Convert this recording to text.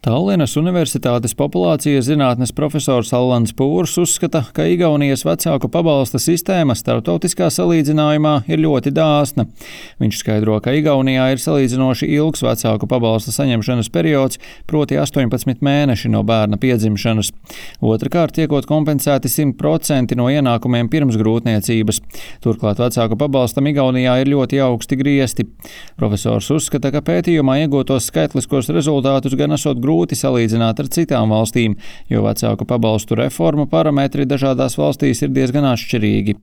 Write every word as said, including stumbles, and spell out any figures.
Tallinas Universitātes populācijas zinātnes profesors Allands Pūrs uzskata, ka Igaunijas vecāku pabalsta sistēma starptautiskā salīdzinājumā ir ļoti dāsna. Viņš skaidro, ka Igaunijā ir salīdzinoši ilgs vecāku pabalsta saņemšanas periods, proti astoņpadsmit mēneši no bērna piedzimšanas. Otrakārt, tiekot kompensēti simt procenti no ienākumiem pirms grūtniecības. Turklāt vecāku pabalstam Igaunijā ir ļoti augsti griesti. Profesors uzskata, ka pētījumā iegūtos skaitliskos rezultātus gan esot grūti salīdzināt ar citām valstīm, jo vecāku pabalstu reformu parametri dažādās valstīs ir diezgan atšķirīgi.